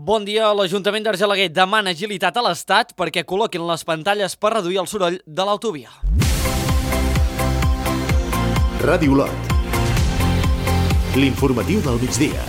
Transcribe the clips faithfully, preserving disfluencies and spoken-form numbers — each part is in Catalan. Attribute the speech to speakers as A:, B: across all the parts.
A: Bon dia. L'Ajuntament d'Argelaguer demana agilitat a l'Estat perquè col·loquin les pantalles per reduir el soroll de l'autovia.
B: Ràdio Lot. L'informatiu del migdia.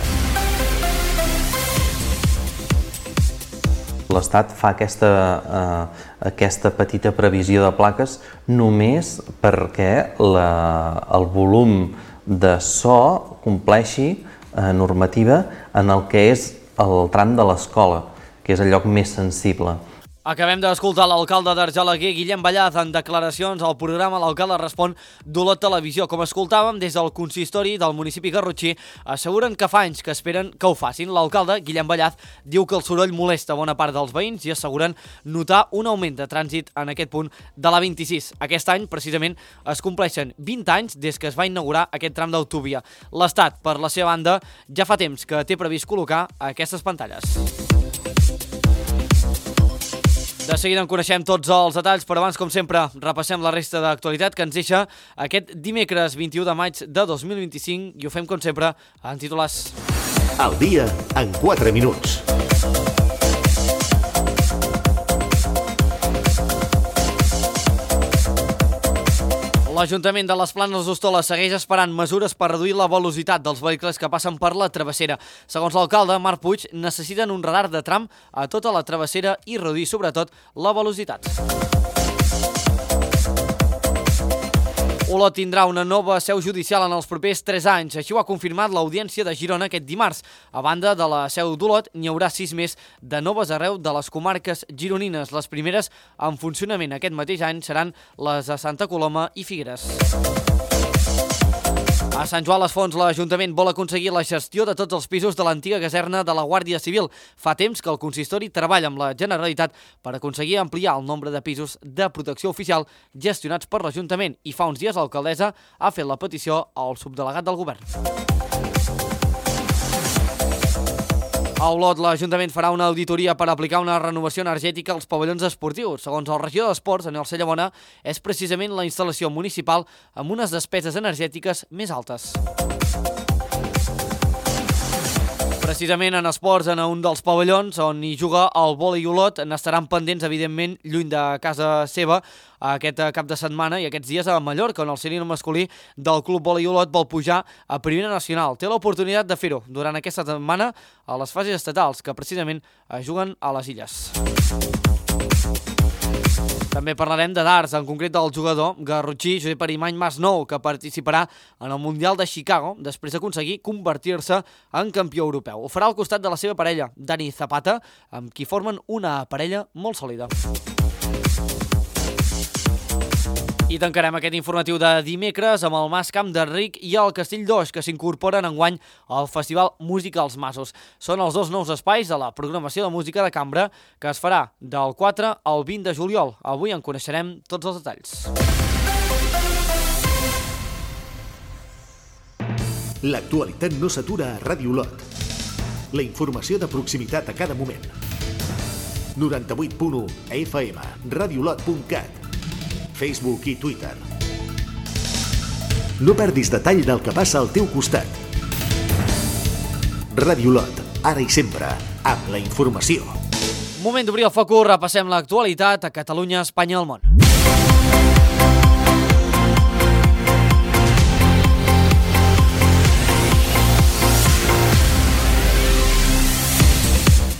C: L'Estat fa aquesta, eh, aquesta petita previsió de plaques només perquè la, el volum de so compleixi eh, normativa en el que és el tram de l'escola, que és el lloc més sensible.
A: Acabem d'escoltar l'alcalde d'Argelaguer, Guillem Ballaz, en declaracions al programa L'Alcalde Respon d'Olot Televisió. Com escoltàvem, des del consistori del municipi garrotxí asseguren que fa anys que esperen que ho facin. L'alcalde, Guillem Ballaz, diu que el soroll molesta bona part dels veïns i asseguren notar un augment de trànsit en aquest punt de la vint-i-sis. Aquest any, precisament, es compleixen vint anys des que es va inaugurar aquest tram d'autovia. L'Estat, per la seva banda, ja fa temps que té previst col·locar aquestes pantalles. De seguida en coneixem tots els detalls, però abans, com sempre, repassem la resta d'actualitat que ens deixa aquest dimecres vint-i-u de maig de dos mil vint-i-cinc i ho fem, com sempre, en titulars.
B: El dia en quatre minuts.
A: L'Ajuntament de les Planes d'Hostoles segueix esperant mesures per reduir la velocitat dels vehicles que passen per la travessera. Segons l'alcalde, Marc Puig, necessiten un radar de tram a tota la travessera i reduir, sobretot, la velocitat. Olot tindrà una nova seu judicial en els propers tres anys. Així ho ha confirmat l'Audiència de Girona aquest dimarts. A banda de la seu d'Olot, n'hi haurà sis més de noves arreu de les comarques gironines. Les primeres en funcionament aquest mateix any seran les de Santa Coloma i Figueres. A Sant Joan les Fonts, l'Ajuntament vol aconseguir la gestió de tots els pisos de l'antiga caserna de la Guàrdia Civil. Fa temps que el consistori treballa amb la Generalitat per aconseguir ampliar el nombre de pisos de protecció oficial gestionats per l'Ajuntament i fa uns dies l'alcaldessa ha fet la petició al subdelegat del govern. A Olot, l'Ajuntament farà una auditoria per aplicar una renovació energètica als pavellons esportius. Segons el regidor d'Esports, Daniel Cellabona, és precisament la instal·lació municipal amb unes despeses energètiques més altes. Precisament en esports, en un dels pavellons on hi juga el vòlei Olot, n'estaran pendents, evidentment, lluny de casa seva, aquest cap de setmana i aquests dies a Mallorca, on el sènior masculí del Club Vòlei Olot vol pujar a Primera Nacional. Té l'oportunitat de fer-ho durant aquesta setmana a les fases estatals, que precisament es juguen a les Illes. També parlarem de darts, en concret del jugador garrotxí Josep Arimany Masnou, que participarà en el Mundial de Chicago després d'aconseguir convertir-se en campió europeu. Ho farà al costat de la seva parella, Dani Zapata, amb qui formen una parella molt sòlida. I tancarem aquest informatiu de dimecres amb el Mas Camp de Ric i el Castell d'Oix, que s'incorporen enguany al Festival Música als Masos. Són els dos nous espais de la programació de música de cambra que es farà del quatre al vint de juliol. Avui en coneixerem tots els detalls.
B: L'actualitat no s'atura a Ràdio Lot. La informació de proximitat a cada moment. noranta-vuit punt u F M, radiolot punt cat, Facebook i Twitter. No perdis detall del que passa al teu costat. Ràdio Lot, ara i sempre, amb la informació.
A: Moment d'obrir el focus, repassem l'actualitat a Catalunya, Espanya i el món.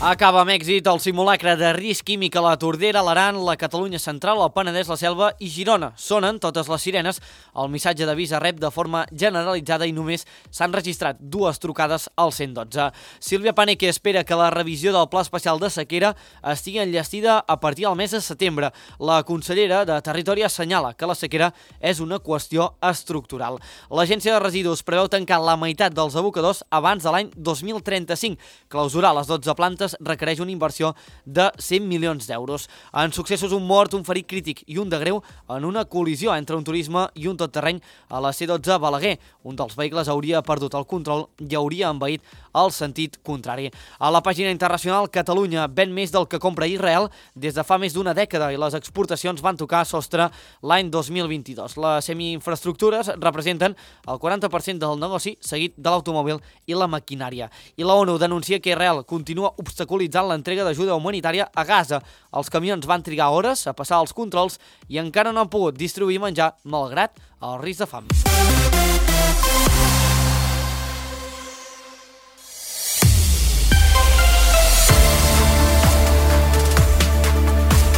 A: Acaba amb èxit el simulacre de risc químic a la Tordera, l'Aran, la Catalunya Central, el Penedès, la Selva i Girona. Sonen totes les sirenes. El missatge d'avís es rep de forma generalitzada i només s'han registrat dues trucades al cent dotze. Sílvia Paneque espera que la revisió del Pla Especial de Sequera estigui enllestida a partir del mes de setembre. La consellera de Territori assenyala que la sequera és una qüestió estructural. L'Agència de Residus preveu tancar la meitat dels abocadors abans de l'any dos mil trenta-cinc. Clausurar les dotze plantes requereix una inversió de cent milions d'euros. En successos, un mort, un ferit crític i un de greu en una col·lisió entre un turisme i un totterreny a la C dotze Balaguer. Un dels vehicles hauria perdut el control i hauria envaït el sentit contrari. A la pàgina internacional, Catalunya ven més del que compra Israel des de fa més d'una dècada i les exportacions van tocar sostre l'any dos mil vint-i-dos. Les semiinfraestructures representen el quaranta per cent del negoci, seguit de l'automòbil i la maquinària. I la ONU denuncia que Israel continua obstaculant obstaculitzant l'entrega d'ajuda humanitària a Gaza. Els camions van trigar hores a passar els controls i encara no han pogut distribuir menjar, malgrat el risc de fam.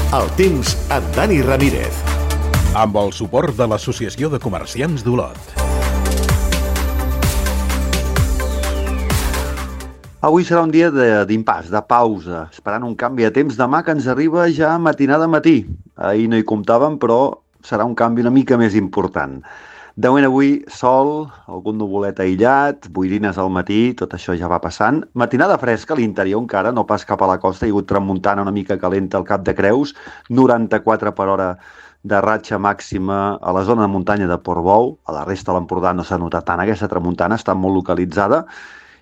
B: El temps amb Dani Ramírez.
D: Amb el suport de l'Associació de Comerciants d'Olot.
E: Avui serà un dia d'impàs, de, de pausa, esperant un canvi de temps demà que ens arriba ja matinada matí. Ahir no hi comptàvem, però serà un canvi una mica més important. De moment avui, sol, algun nuvolet aïllat, boirines al matí, tot això ja va passant. Matinada fresca a l'interior encara, no pas cap a la costa, hi ha hagut tramuntana una mica calenta al Cap de Creus, noranta-quatre per hora de ratxa màxima a la zona de muntanya de Portbou. A la resta de l'Empordà no s'ha notat tant, aquesta tramuntana està molt localitzada.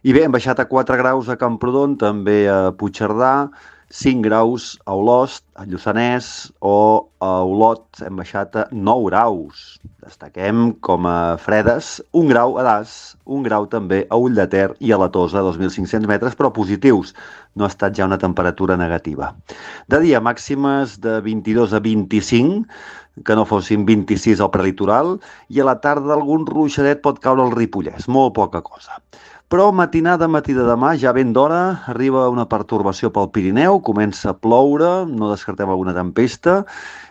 E: I bé, hem baixat a quatre graus a Camprodon, també a Puigcerdà, cinc graus a Olost, a Lluçanès, o a Olot hem baixat a nou graus. Destaquem com a fredes un grau a Das, un grau també a Ull de Ter i a la Tosa, dos mil cinc-cents metres, però positius. No ha estat ja una temperatura negativa. De dia màximes de vint-i-dos a vint-i-cinc, que no fossin vint-i-sis al prelitoral, i a la tarda algun ruixadet pot caure al Ripollès, molt poca cosa. Però matinada, matí de demà, ja ben d'hora, arriba una pertorbació pel Pirineu, comença a ploure, no descartem alguna tempesta,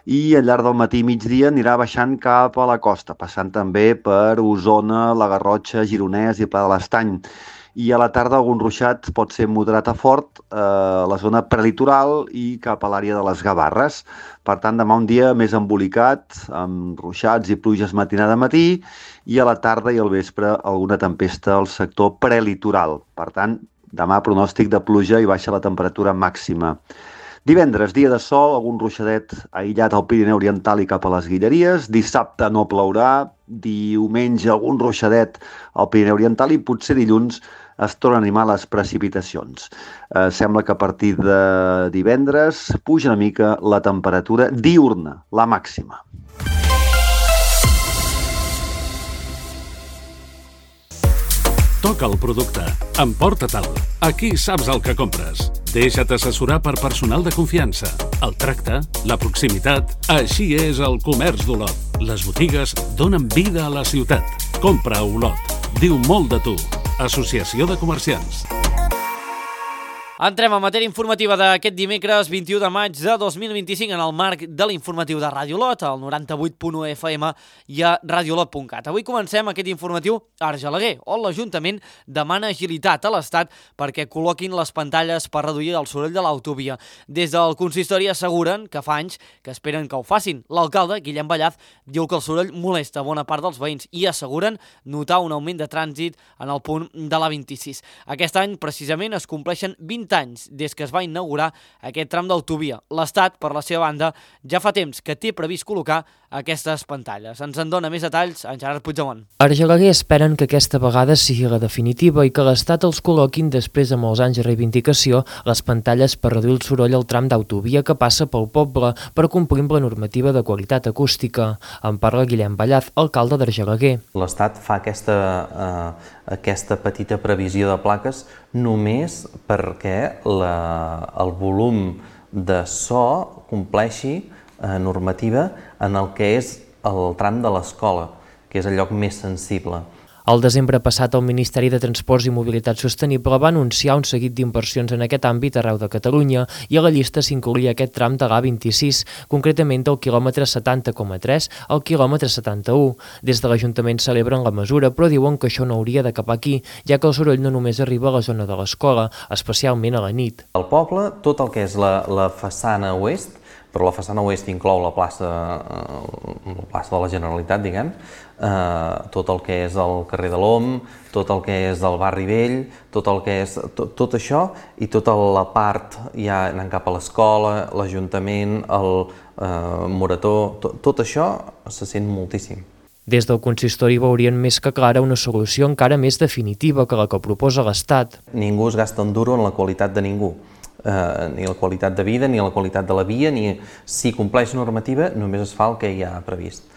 E: i al llarg del matí i migdia anirà baixant cap a la costa, passant també per Osona, la Garrotxa, Gironès i Pla de l'Estany. I a la tarda algun ruixat pot ser moderat a fort eh, a la zona prelitoral i cap a l'àrea de les Gavarres. Per tant, demà un dia més embolicat, amb ruixats i pluges matinada a matí, i a la tarda i al vespre alguna tempesta al sector prelitoral. Per tant, demà pronòstic de pluja i baixa la temperatura màxima. Divendres, dia de sol, algun ruixadet aïllat al Pirineu Oriental i cap a les Guilleries. Dissabte no plourà, diumenge algun ruixadet al Pirineu Oriental i potser dilluns es tornen a animar les precipitacions. Eh, sembla que a partir de divendres puja una mica la temperatura diurna, la màxima.
F: Toca el producte, emporta-te'l. Aquí saps el que compres. Deixa't assessorar per personal de confiança. El tracte, la proximitat, així és el comerç d'Olot. Les botigues donen vida a la ciutat. Compra a Olot. Diu molt de tu. Associació de Comerciants.
A: Entrem a matèria informativa d'aquest dimecres vint-i-u de maig de dos mil vint-i-cinc en el marc de l'informatiu de Ràdio Olot, al noranta-vuit punt u F M i a radiolot punt cat. Avui comencem aquest informatiu a Argelaguer, on l'Ajuntament demana agilitat a l'Estat perquè col·loquin les pantalles per reduir el soroll de l'autovia. Des del consistori asseguren que fa anys que esperen que ho facin. L'alcalde, Guillem Ballaz, diu que el soroll molesta bona part dels veïns i asseguren notar un augment de trànsit en el punt de la vint-i-sis. Aquest any, precisament, es compleixen vint anys des que es va inaugurar aquest tram d'autovia. L'Estat, per la seva banda, ja fa temps que té previst col·locar aquestes pantalles. Ens en dona més detalls en Gerard Puigdemont.
G: Argelaguer esperen que aquesta vegada sigui la definitiva i que l'Estat els col·loquin després de molts anys de reivindicació les pantalles per reduir el soroll al tram d'autovia que passa pel poble per complir amb la normativa de qualitat acústica. En parla Guillem Ballaz, alcalde d'Argelaguer.
C: L'Estat fa aquesta, eh, aquesta petita previsió de plaques només perquè la, el volum de so compleixi eh, normativa en el que és el tram de l'escola, que és el lloc més sensible.
G: Al desembre passat, el Ministeri de Transports i Mobilitat Sostenible va anunciar un seguit d'inversions en aquest àmbit arreu de Catalunya i a la llista s'incloïa aquest tram de l'A vint-i-sis, concretament del quilòmetre setanta coma tres al quilòmetre setanta-u. Des de l'Ajuntament celebren la mesura, però diuen que això no hauria d'acabar aquí, ja que el soroll no només arriba a la zona de l'escola, especialment a la nit.
C: Al poble, tot el que és la, la façana oest, però la façana oest inclou la plaça, la plaça de la Generalitat, diguem, eh, tot el que és el carrer de l'Om, tot el que és el barri vell, tot el que és tot, tot això i tota la part ja anant cap a l'escola, l'Ajuntament, el eh, Morató, tot, tot això se sent moltíssim.
G: Des del consistori veurien més que clara una solució encara més definitiva que la que proposa l'Estat.
C: Ningú es gasta un duro en la qualitat de ningú. Eh, ni la qualitat de vida, ni la qualitat de la via, ni si compleix normativa només es fa el que hi ha previst.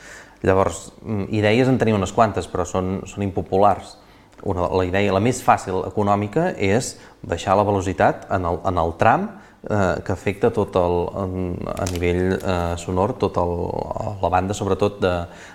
C: Llavors, idees en tenim unes quantes, però són, són impopulars. una, la idea, la més fàcil econòmica és baixar la velocitat en el, en el tram eh, que afecta tot el, en, a nivell eh, sonor, tota la banda, sobretot de,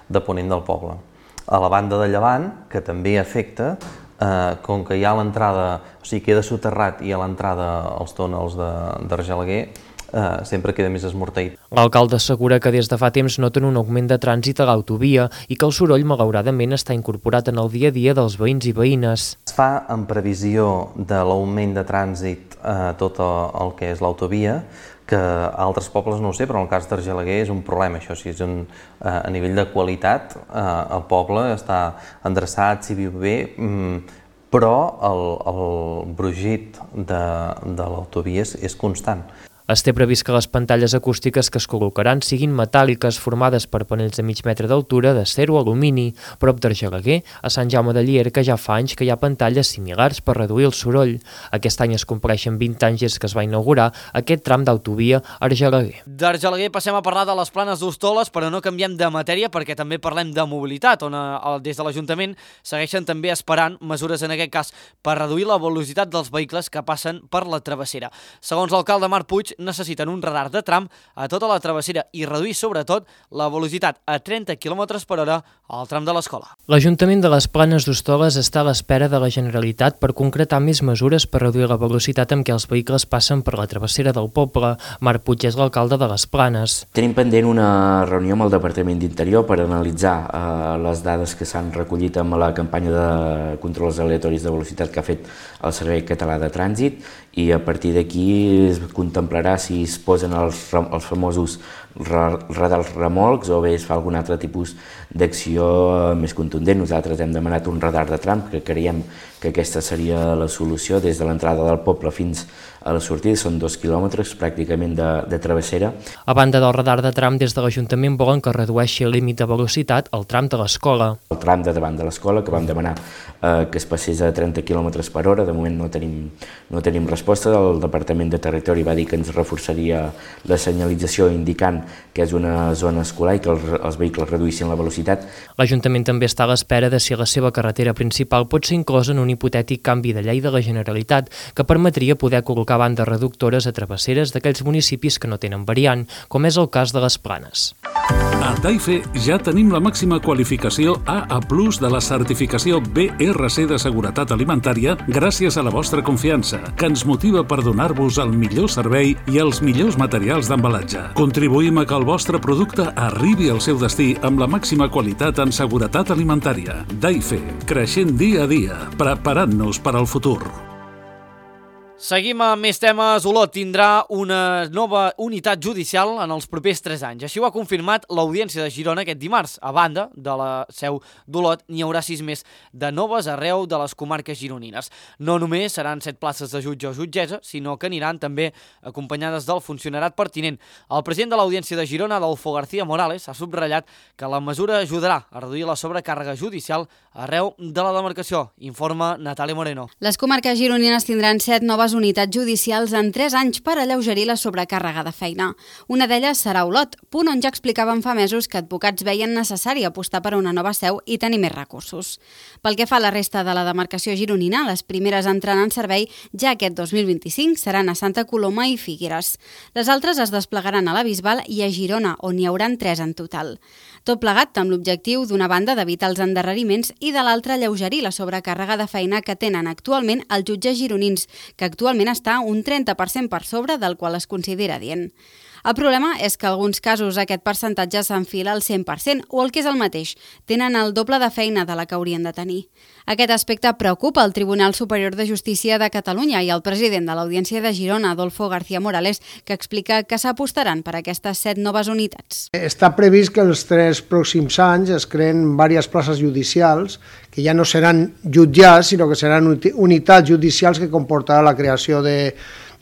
C: de ponent del poble. A la banda de llevant, que també afecta, eh, com que hi ha l'entrada, o sigui, queda soterrat i a l'entrada als túnels d'Argelaguer, Uh, sempre queda més esmorteït.
G: L'alcalde assegura que des de fa temps noten un augment de trànsit a l'autovia i que el soroll, malauradament, està incorporat en el dia a dia dels veïns i veïnes.
C: Es fa en previsió de l'augment de trànsit a uh, tot el que és l'autovia, que a altres pobles no ho sé, però en el cas d'Argelaguer és un problema, això. Si és un, uh, a nivell de qualitat, uh, el poble està endreçat, s'hi viu bé, um, però el, el brogit de, de l'autovia és, és constant.
G: Es té previst que les pantalles acústiques que es col·locaran siguin metàl·liques formades per panells de mig metre d'altura d'acer o alumini. Prop d'Argelaguer, a Sant Jaume de Llierca, ja fa anys que hi ha pantalles similars per reduir el soroll. Aquest any es compleixen vint anys des que es va inaugurar aquest tram d'autovia a Argelaguer.
A: D'Argelaguer passem a parlar de les Planes d'Hostoles, però no canviem de matèria perquè també parlem de mobilitat, on a, des de l'Ajuntament segueixen també esperant mesures, en aquest cas, per reduir la velocitat dels vehicles que passen per la travessera. Segons l'alcalde Marc Puig, necessiten un radar de tram a tota la travessera i reduir, sobretot, la velocitat a trenta quilòmetres per hora al tram de l'escola.
G: L'Ajuntament de les Planes d'Hostoles està a l'espera de la Generalitat per concretar més mesures per reduir la velocitat amb què els vehicles passen per la travessera del poble. Marc Puig és l'alcalde de les Planes.
H: Tenim pendent una reunió amb el Departament d'Interior per analitzar eh, les dades que s'han recollit amb la campanya de controls aleatoris de velocitat que ha fet el Servei Català de Trànsit i a partir d'aquí es contemplarà si es posen els, els famosos radars remolcs o bé es fa algun altre tipus d'acció més contundent. Nosaltres hem demanat un radar de tram, que creiem que aquesta seria la solució des de l'entrada del poble fins a la sortida, són dos quilòmetres pràcticament de, de travessera.
G: A banda del radar de tram, des de l'Ajuntament volen que redueixi el límit de velocitat al tram de l'escola.
H: El tram de davant de l'escola, que vam demanar eh, que es passés a trenta quilòmetres per hora, de moment no tenim, no tenim resposta. El Departament de Territori va dir que ens reforçaria la senyalització indicant que és una zona escolar i que els, els vehicles reduïssin la velocitat.
G: L'Ajuntament també està a l'espera de si la seva carretera principal pot ser inclosa en un hipotètic canvi de llei de la Generalitat que permetria poder col·locar bandes reductores a travesseres d'aquells municipis que no tenen variant, com és el cas de les Planes.
F: A Taife ja tenim la màxima qualificació A A plus de la certificació B R C de seguretat alimentària gràcies a la vostra confiança, que ens motiva per donar-vos el millor servei i els millors materials d'embalatge. Contribuïm a que el vostre producte arribi al seu destí amb la màxima qualitat en seguretat alimentària. Taife, creixent dia a dia, preparant-nos per al futur.
A: Seguim amb més temes. Olot tindrà una nova unitat judicial en els propers tres anys. Així ho ha confirmat l'Audiència de Girona aquest dimarts. A banda de la seu d'Olot, n'hi haurà sis més de noves arreu de les comarques gironines. No només seran set places de jutge o jutgessa, sinó que aniran també acompanyades del funcionarat pertinent. El president de l'Audiència de Girona, Adolfo García Morales, ha subratllat que la mesura ajudarà a reduir la sobrecàrrega judicial arreu de la demarcació. Informa Natàlia Moreno.
I: Les comarques gironines tindran set noves unitats judicials en tres anys per alleugerir la sobrecàrrega de feina. Una d'elles serà Olot, punt on ja explicaven fa mesos que advocats veien necessari apostar per una nova seu i tenir més recursos. Pel que fa a la resta de la demarcació gironina, les primeres entrant en servei ja aquest dos mil vint-i-cinc seran a Santa Coloma i Figueres. Les altres es desplegaran a la Bisbal i a Girona, on hi hauran tres en total. Tot plegat amb l'objectiu, d'una banda, d'evitar els endarreriments i de l'altra, alleugerir la sobrecàrrega de feina que tenen actualment els jutges gironins, que actualment està un trenta per cent per sobre del qual es considera adient. El problema és que en alguns casos aquest percentatge s'enfila al cent per cent o el que és el mateix, tenen el doble de feina de la que haurien de tenir. Aquest aspecte preocupa el Tribunal Superior de Justícia de Catalunya i el president de l'Audiència de Girona, Adolfo García Morales, que explica que s'apostaran per aquestes set noves unitats.
J: Està previst que els tres pròxims anys es creen diverses places judicials que ja no seran jutjats, sinó que seran unitats judicials que comportarà la creació de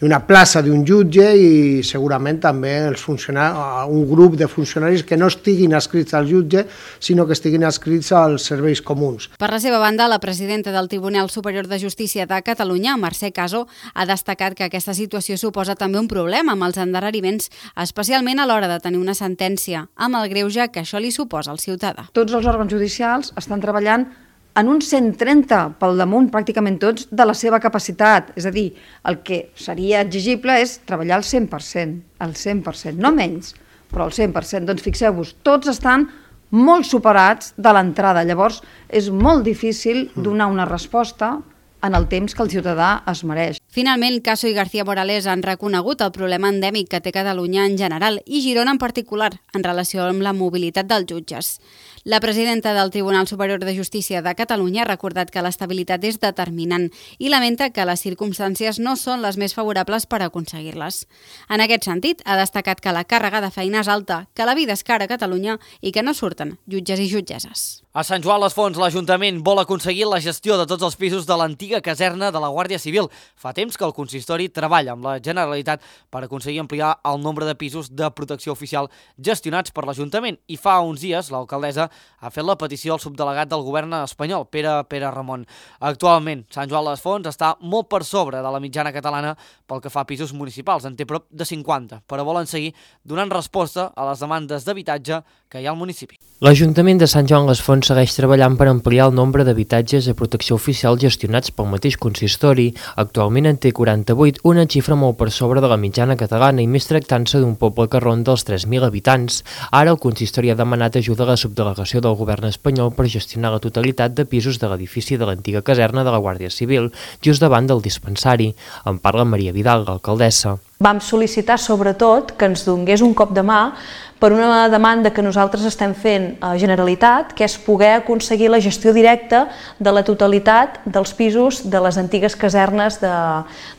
J: una plaça d'un jutge i segurament també els funcionaris, un grup de funcionaris que no estiguin adscrits al jutge, sinó que estiguin adscrits als serveis comuns.
I: Per la seva banda, la presidenta del Tribunal Superior de Justícia de Catalunya, Mercè Caso, ha destacat que aquesta situació suposa també un problema amb els endarreriments, especialment a l'hora de tenir una sentència, amb el greuge que això li suposa al ciutadà.
K: Tots els òrgans judicials estan treballant en un cent trenta pel damunt pràcticament tots de la seva capacitat. És a dir, el que seria exigible és treballar al cent per cent, al cent per cent, no menys, però al cent per cent. Doncs fixeu-vos, tots estan molt superats de l'entrada. Llavors, és molt difícil donar una resposta en el temps que el ciutadà es mereix.
I: Finalment, Caso i García Morales han reconegut el problema endèmic que té Catalunya en general i Girona en particular en relació amb la mobilitat dels jutges. La presidenta del Tribunal Superior de Justícia de Catalunya ha recordat que l'estabilitat és determinant i lamenta que les circumstàncies no són les més favorables per aconseguir-les. En aquest sentit, ha destacat que la càrrega de feina és alta, que la vida és cara a Catalunya i que no surten jutges i jutgesses.
A: A Sant Joan les Fonts, l'Ajuntament vol aconseguir la gestió de tots els pisos de l'antiga caserna de la Guàrdia Civil. Fa temps que el consistori treballa amb la Generalitat per aconseguir ampliar el nombre de pisos de protecció oficial gestionats per l'Ajuntament i fa uns dies l'alcaldessa ha fet la petició al subdelegat del govern espanyol, Pere Pere Ramon. Actualment, Sant Joan les Fonts està molt per sobre de la mitjana catalana pel que fa a pisos municipals, en té prop de cinquanta, però volen seguir donant resposta a les demandes d'habitatge que hi ha al municipi.
G: L'Ajuntament de Sant Joan les Fonts segueix treballant per ampliar el nombre d'habitatges de protecció oficial gestionats pel mateix consistori. Actualment en té quaranta-vuit, una xifra molt per sobre de la mitjana catalana i més tractant-se d'un poble que ronda els tres mil habitants. Ara el consistori ha demanat ajuda a la subdelegació del govern espanyol per gestionar la totalitat de pisos de l'edifici de l'antiga caserna de la Guàrdia Civil, just davant del dispensari. En parla Maria Vidal, l'alcaldessa.
L: Vam sol·licitar sobretot que ens donés un cop de mà per una demanda que nosaltres estem fent a Generalitat, que és poder aconseguir la gestió directa de la totalitat dels pisos de les antigues casernes de,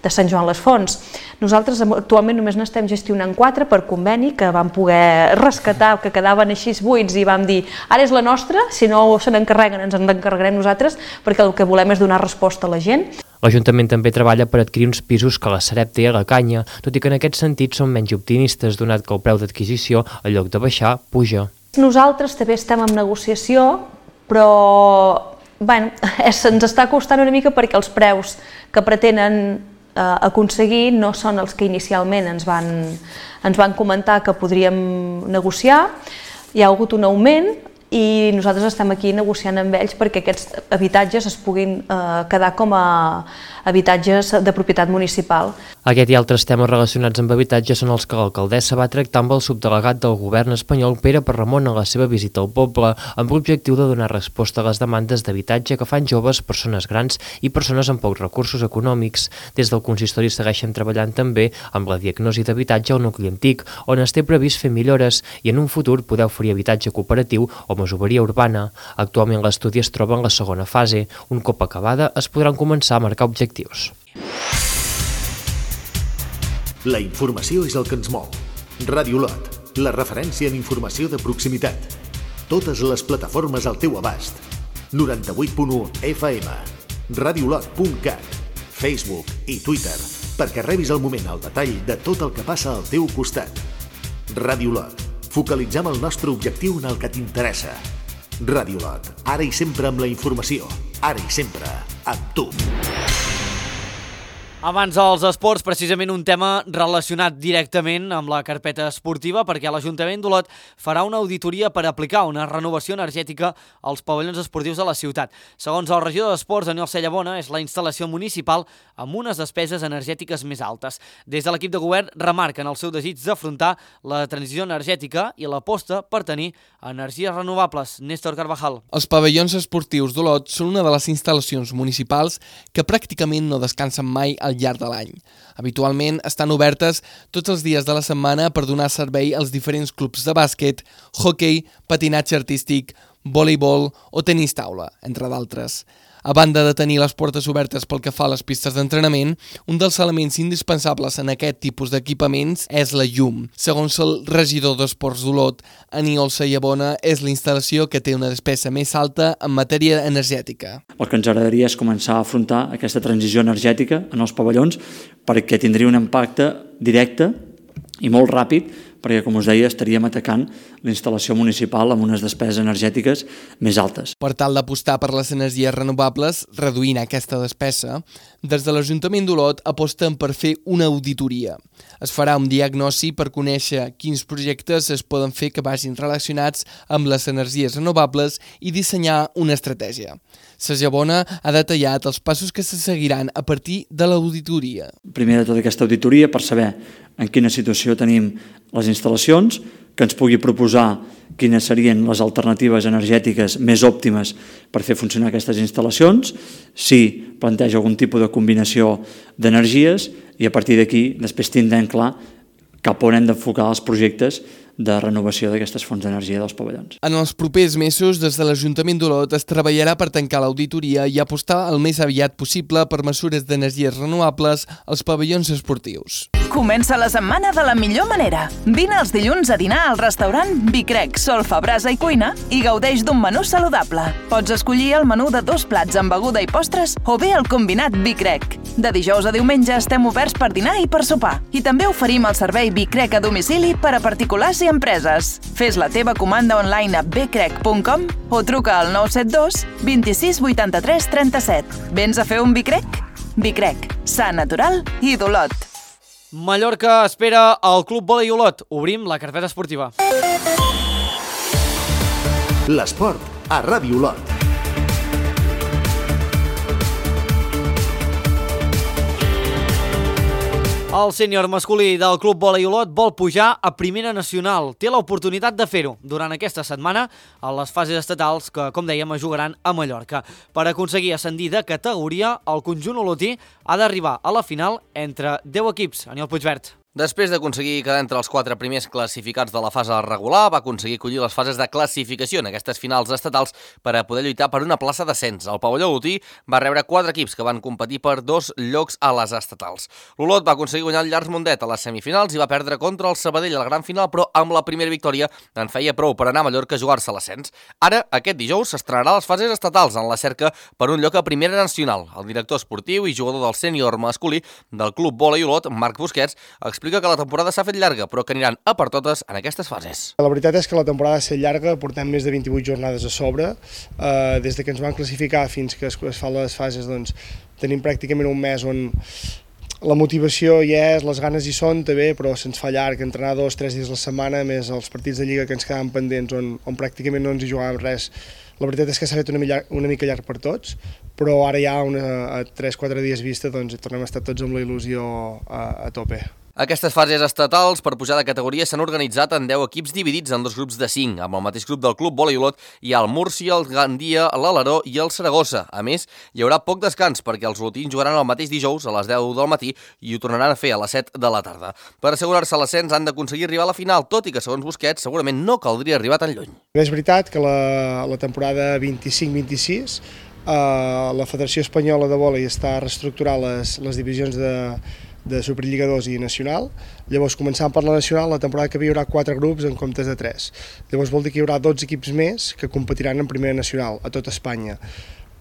L: de Sant Joan les Fonts. Nosaltres actualment només n'estem gestionant quatre per conveni que vam poder rescatar, que quedaven així buits i vam dir ara és la nostra, si no se n'encarreguen ens en encarregarem nosaltres perquè el que volem és donar resposta a la gent.
G: L'Ajuntament també treballa per adquirir uns pisos que la Sareb té a la canya, tot i que en aquest sentit són menys optimistes, donat que el preu d'adquisició, en lloc de baixar, puja.
L: Nosaltres també estem en negociació, però bueno, ens està costant una mica perquè els preus que pretenen eh, aconseguir no són els que inicialment ens van, ens van comentar que podríem negociar. Hi ha hagut un augment i nosaltres estem aquí negociant amb ells perquè aquests habitatges es puguin eh, quedar com a habitatges de propietat municipal.
G: Aquest i altres temes relacionats amb habitatge són els que l'alcaldessa va tractar amb el subdelegat del govern espanyol Pere Pere Ramon a la seva visita al poble, amb l'objectiu de donar resposta a les demandes d'habitatge que fan joves, persones grans i persones amb pocs recursos econòmics. Des del consistori segueixen treballant també amb la diagnosi d'habitatge al nucli antic, on es té previst fer millores i en un futur poder oferir habitatge cooperatiu o masoveria urbana. Actualment l'estudi es troba en la segona fase. Un cop acabada es podran començar a marcar objectius.
B: La informació és el que ens mou. Ràdio Lot, la referència en informació de proximitat. Totes les plataformes al teu abast. noranta-vuit punt u F M, radiolot punt cat, Facebook i Twitter, perquè rebis al moment el detall de tot el que passa al teu costat. Ràdio Lot, focalitzem el nostre objectiu en el que t'interessa. Ràdio Lot, ara i sempre amb la informació, ara i sempre amb tu.
A: Abans dels esports, precisament un tema relacionat directament amb la carpeta esportiva, perquè l'Ajuntament d'Olot farà una auditoria per aplicar una renovació energètica als pavellons esportius de la ciutat. Segons el regidor d'Esports, Daniel Cellabona, és la instal·lació municipal amb unes despeses energètiques més altes. Des de l'equip de govern remarquen el seu desig d'afrontar la transició energètica i l'aposta per tenir energies renovables. Néstor Carvajal.
M: Els pavellons esportius d'Olot són una de les instal·lacions municipals que pràcticament no descansen mai al llarg de l'any. Habitualment estan obertes tots els dies de la setmana per donar servei als diferents clubs de bàsquet, hoquei, patinatge artístic, voleibol o tenis taula, entre d'altres. A banda de tenir les portes obertes pel que fa a les pistes d'entrenament, un dels elements indispensables en aquest tipus d'equipaments és la llum. Segons el regidor d'Esports d'Olot, Aniol Cellabona, és la instal·lació que té una despesa més alta en matèria energètica.
N: El que ens agradaria és començar a afrontar aquesta transició energètica en els pavellons perquè tindria un impacte directe i molt ràpid, perquè, com us deia, estaríem atacant la instal·lació municipal amb unes despeses energètiques més altes.
M: Per tal d'apostar per les energies renovables, reduint aquesta despesa, des de l'Ajuntament d'Olot aposten per fer una auditoria. Es farà un diagnòstic per conèixer quins projectes es poden fer que vagin relacionats amb les energies renovables i dissenyar una estratègia. Sagabona ha detallat els passos que se seguiran a partir de l'auditoria.
N: Primer de tot, aquesta auditoria per saber en quina situació tenim les instal·lacions, que ens pugui proposar quines serien les alternatives energètiques més òptimes per fer funcionar aquestes instal·lacions, si planteja algun tipus de combinació d'energies, i a partir d'aquí després tindrem clar cap on hem d'enfocar els projectes de renovació d'aquestes fonts d'energia dels pavellons.
M: En els propers mesos, des de l'Ajuntament d'Olot es treballarà per tancar l'auditoria i apostar el més aviat possible per mesures d'energies renovables als pavellons esportius.
O: Comença la setmana de la millor manera. Vine els dilluns a dinar al restaurant Bicrec, Solfa, Brasa i Cuina i gaudeix d'un menú saludable. Pots escollir el menú de dos plats amb beguda i postres o bé el combinat Bicrec. De dijous a diumenge estem oberts per dinar i per sopar. I també oferim el servei Bicrec a domicili per a particulars i empreses. Fes la teva comanda online a bcrec punt com o truca al nou set dos vint-i-sis vuitanta-tres trenta-set. Vens a fer un Bicrec? Bicrec, sa, natural i d'Olot.
A: Mallorca espera el Club Vòlei Olot. Obrim la carpeta esportiva.
B: L'esport a Ràdio Olot.
A: El sènior masculí del Club Vòlei Olot vol pujar a Primera Nacional. Té l'oportunitat de fer-ho durant aquesta setmana a les fases estatals que, com dèiem, es jugaran a Mallorca. Per aconseguir ascendir de categoria, el conjunt olotí ha d'arribar a la final entre deu equips. Aniol Puigvert.
P: Després d'aconseguir quedar entre els quatre primers classificats de la fase regular, va aconseguir collir les fases de classificació en aquestes finals estatals per a poder lluitar per una plaça d'ascens. El pavelló olotí va rebre quatre equips que van competir per dos llocs a les estatals. L'Olot va aconseguir guanyar el Llars Mundet a les semifinals i va perdre contra el Sabadell a la gran final, però amb la primera victòria en feia prou per anar a Mallorca a jugar-se l'ascens. Ara, aquest dijous, s'estrenarà les fases estatals en la cerca per un lloc a Primera Nacional. El director esportiu i jugador del sènior masculí del Club Vòlei Olot, Marc Busquets, explica que la temporada s'ha fet llarga, però que aniran a per totes en aquestes fases.
Q: La veritat és que la temporada ha estat llarga, portem més de vint-i-vuit jornades a sobre. Eh, des de que ens van classificar fins que es, es fan les fases, doncs, tenim pràcticament un mes on la motivació hi és, les ganes hi són també, però se'ns fa llarg, entrenar dos, tres dies a la setmana, més els partits de Lliga que ens quedaven pendents, on, on pràcticament no ens hi jugàvem res. La veritat és que s'ha fet una, llarg, una mica llarg per tots, però ara ja una, a tres quatre dies vista doncs, tornem a estar tots amb la il·lusió a, a tope.
P: Aquestes fases estatals per pujar de categoria s'han organitzat en deu equips dividits en dos grups de cinc. Amb el mateix grup del Club Vòlei Olot hi ha el Múrcia, el Gandia, l'Alaró i el Saragossa. A més, hi haurà poc descans perquè els olotins jugaran el mateix dijous a les deu del matí i ho tornaran a fer a les set de la tarda. Per assegurar-se l'ascens han d'aconseguir arribar a la final, tot i que, segons Busquets, segurament no caldria arribar tan lluny.
Q: És veritat que la, la temporada vint-i-cinc vint-i-sis eh, la Federació Espanyola de Vòlei està reestructurant les, les divisions de de Superliga dos i Nacional. Llavors, començant per la Nacional, la temporada que ve hi haurà quatre grups en comptes de tres. Llavors vol dir que hi haurà dotze equips més que competiran en Primera Nacional a tot Espanya.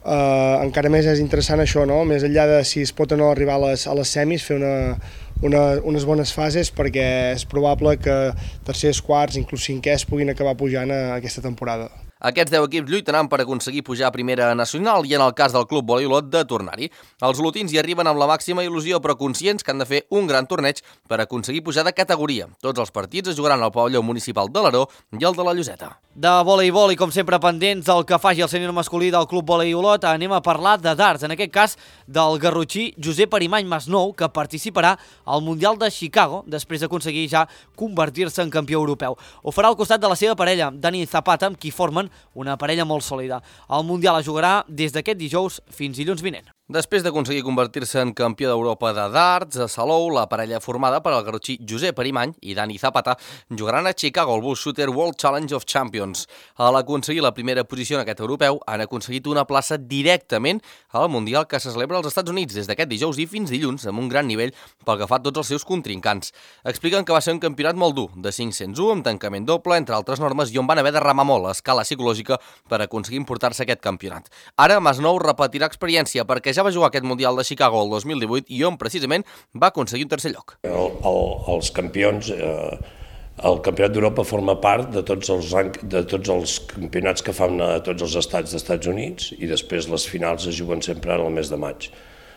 Q: Uh, encara més és interessant això, no? Més enllà de si es pot o no arribar a les, a les semis, fer una, una, unes bones fases, perquè és probable que tercers, quarts, inclús cinquers puguin acabar pujant a aquesta temporada.
P: Aquests deu equips lluitaran per aconseguir pujar a Primera Nacional i en el cas del Club Vòlei Olot de tornar-hi. Els olotins hi arriben amb la màxima il·lusió, però conscients que han de fer un gran torneig per aconseguir pujar de categoria. Tots els partits es jugaran al pavelló municipal de l'Aró i el de la Lloseta.
A: De voleibol i com sempre pendents del que faci el sènior masculí del Club Vòlei Olot, anem a parlar de darts, en aquest cas del garrotxí Josep Arimany Masnou, que participarà al Mundial de Chicago després d'aconseguir ja convertir-se en campió europeu. Ho farà al costat de la seva parella, Dani Zapata, amb qui formen una parella molt sòlida. El Mundial es jugarà des d'aquest dijous fins dilluns vinent.
P: Després d'aconseguir convertir-se en campió d'Europa de darts, a Salou, la parella formada per el garrotxí Josep Arimany i Dani Zapata jugaran a Chicago al Bull Shooter World Challenge of Champions. A l'aconseguir la primera posició en aquest europeu, han aconseguit una plaça directament al Mundial que se celebra als Estats Units des d'aquest dijous i fins dilluns, amb un gran nivell pel que fa a tots els seus contrincants. Expliquen que va ser un campionat molt dur, de cinc-cents u, amb tancament doble, entre altres normes, i on van haver de remar molt a escala psicològica per aconseguir emportar-se aquest campionat. Ara, Masnou repetirà experiència perquè que ja va jugar aquest Mundial de Chicago el dos mil divuit i on precisament va aconseguir un tercer lloc.
R: El, el, els campions... Eh... El Campionat d'Europa forma part de tots els, de tots els campionats que fan a tots els estats dels Estats Units i després les finals es juguen sempre al mes de maig.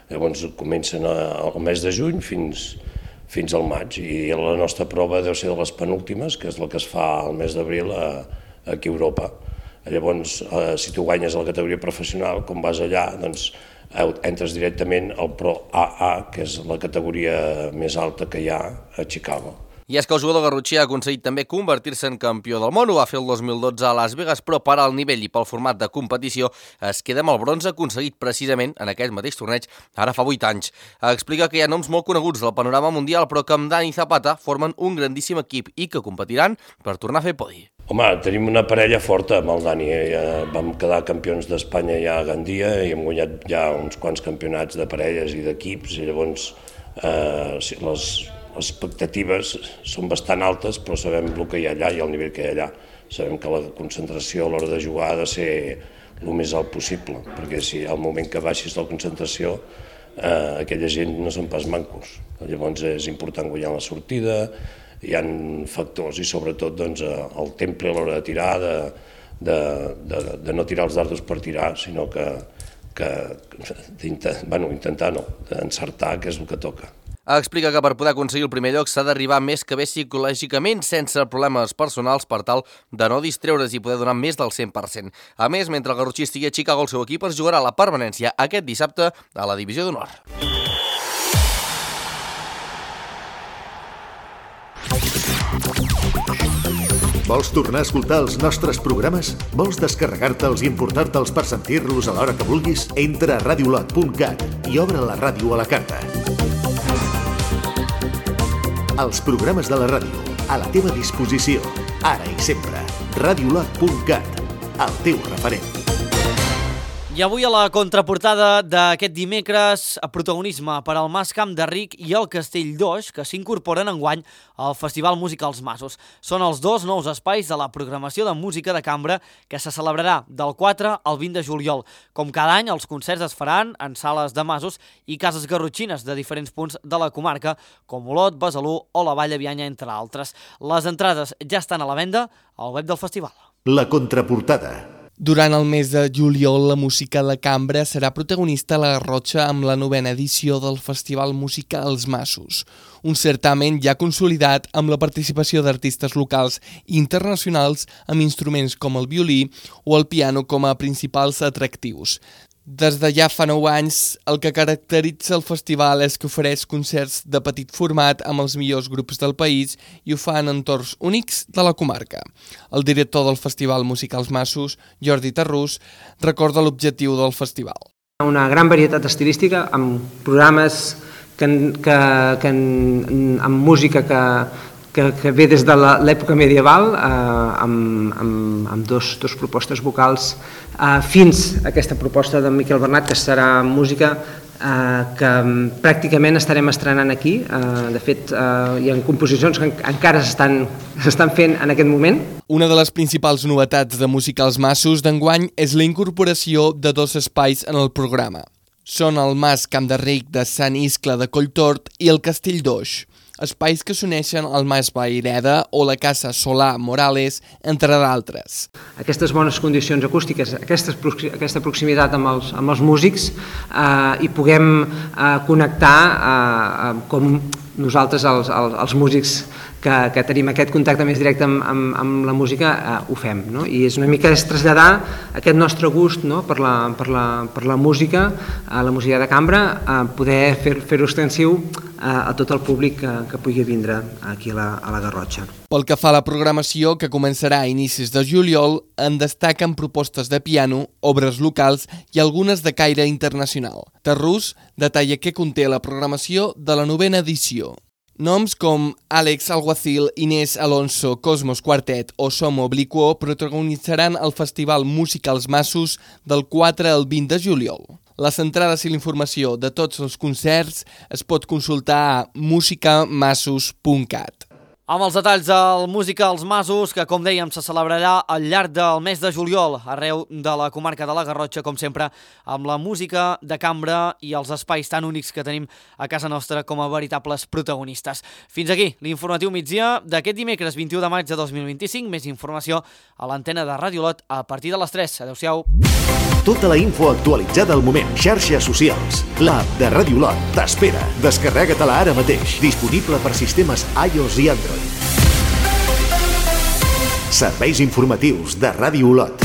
R: Llavors comencen al mes de juny fins, fins al maig i la nostra prova deu ser de les penúltimes, que és la que es fa al mes d'abril aquí a Europa. Llavors, si tu guanyes a la categoria professional, com vas allà, doncs entres directament al Pro A A, que és la categoria més alta que hi ha a Chicago.
P: I és que el jugador garrotxí ha aconseguit també convertir-se en campió del món. Ho va fer el dos mil dotze a Las Vegas, però per al nivell i pel format de competició es queda amb el bronze aconseguit precisament en aquest mateix torneig ara fa vuit anys. Explica que hi ha noms molt coneguts del panorama mundial, però que amb Dani Zapata formen un grandíssim equip i que competiran per tornar a fer podi.
R: Home, tenim una parella forta amb el Dani. Ja vam quedar campions d'Espanya ja a Gandia i hem guanyat ja uns quants campionats de parelles i d'equips i llavors eh, les... Les expectatives són bastant altes, però sabem el que hi ha allà i el nivell que hi ha allà. Sabem que la concentració a l'hora de jugar ha de ser el més alt possible, perquè si al moment que baixis la concentració, eh, aquella gent no són pas mancos. Llavors és important guanyar la sortida, hi ha factors i sobretot doncs, el temple a l'hora de tirar, de, de, de, de no tirar els dardos per tirar, sinó que, que bueno, intentar no, d'encertar, que és el que toca.
P: Explica que per poder aconseguir el primer lloc s'ha d'arribar més que bé psicològicament sense problemes personals per tal de no distreure's i poder donar més del cent per cent. A més, mentre el garrotxí estigui a Chicago, el seu equip es jugarà la permanència aquest dissabte a la Divisió d'Honor.
B: Vols tornar a escoltar els nostres programes? Vols descarregar-te'ls i emportar-te'ls per sentir-los a l'hora que vulguis? Entra a radiolot punt cat i obre la ràdio a la carta. Els programes de la ràdio, a la teva disposició, ara i sempre. radiolot punt cat, el teu referent.
A: I avui a la contraportada d'aquest dimecres, a protagonisme per al Mas Camp de Ric i el Castell d'Oix, que s'incorporen enguany al Festival Música als Masos. Són els dos nous espais de la programació de música de cambra que se celebrarà del quatre al vint de juliol. Com cada any, els concerts es faran en sales de masos i cases garrotxines de diferents punts de la comarca, com Olot, Besalú o la Vall de Bianya, entre altres. Les entrades ja estan a la venda al web del festival.
B: La contraportada.
M: Durant el mes de juliol, la música de cambra serà protagonista a la Garrotxa amb la novena edició del Festival Música als Masos, un certamen ja consolidat amb la participació d'artistes locals i internacionals amb instruments com el violí o el piano com a principals atractius. Des de ja fa nou anys, el que caracteritza el festival és que ofereix concerts de petit format amb els millors grups del país i ho fa en entorns únics de la comarca. El director del Festival Música als Masos, Jordi Tarrús, recorda l'objectiu del festival.
S: Una gran varietat estilística amb programes que, que, que, amb música que, que, que ve des de l'època medieval, eh, amb, amb, amb dos, dos propostes vocals, eh, fins a aquesta proposta de Miquel Bernat, que serà música eh, que pràcticament estarem estrenant aquí. Eh, de fet, eh, hi ha composicions que encara s'estan fent en aquest moment.
M: Una de les principals novetats de Música als Masos d'enguany és la incorporació de dos espais en el programa. Són el Mas Camp de Ric de Sant Iscle de Colltort i el Castell d'Oix, espais que s'uneixen al Mas Vayreda o la Casa Solà Morales, entre d'altres.
S: Aquestes bones condicions acústiques, aquesta, aquesta proximitat amb els, amb els músics eh, i puguem eh, connectar eh, com nosaltres, els, els, els músics que, que tenim aquest contacte més directe amb, amb, amb la música, eh, ho fem. No? I és una mica és traslladar aquest nostre gust, no? per, la, per, la, per la música, a la música de cambra, eh, poder fer, fer-ho extensiu a tot el públic que, que pugui vindre aquí a la, a la Garrotxa.
M: Pel que fa a la programació, que començarà a inicis de juliol, en destaquen propostes de piano, obres locals i algunes de caire internacional. Tarrús detalla què conté la programació de la novena edició. Noms com Àlex Alguacil, Inés Alonso, Cosmos Quartet o Som Obliquo protagonitzaran el Festival Música als Masos del quatre al vint de juliol. Les entrades i la informació de tots els concerts es pot consultar a musicamassos punt cat.
A: Amb els detalls del Música als Masos, que com dèiem se celebrarà al llarg del mes de juliol arreu de la comarca de la Garrotxa, com sempre, amb la música de cambra i els espais tan únics que tenim a casa nostra com a veritables protagonistes. Fins aquí l'informatiu migdia d'aquest dimecres vint-i-u de maig de dos mil vint-i-cinc. Més informació a l'antena de Ràdio Lot a partir de les tres. Adéu-siau.
B: Tota la info actualitzada al moment. Xarxes socials. L'app de Ràdio Lot t'espera. Descarrega-te-la ara mateix. Disponible per sistemes iOS i Android. Serveis informatius de Ràdio Lot.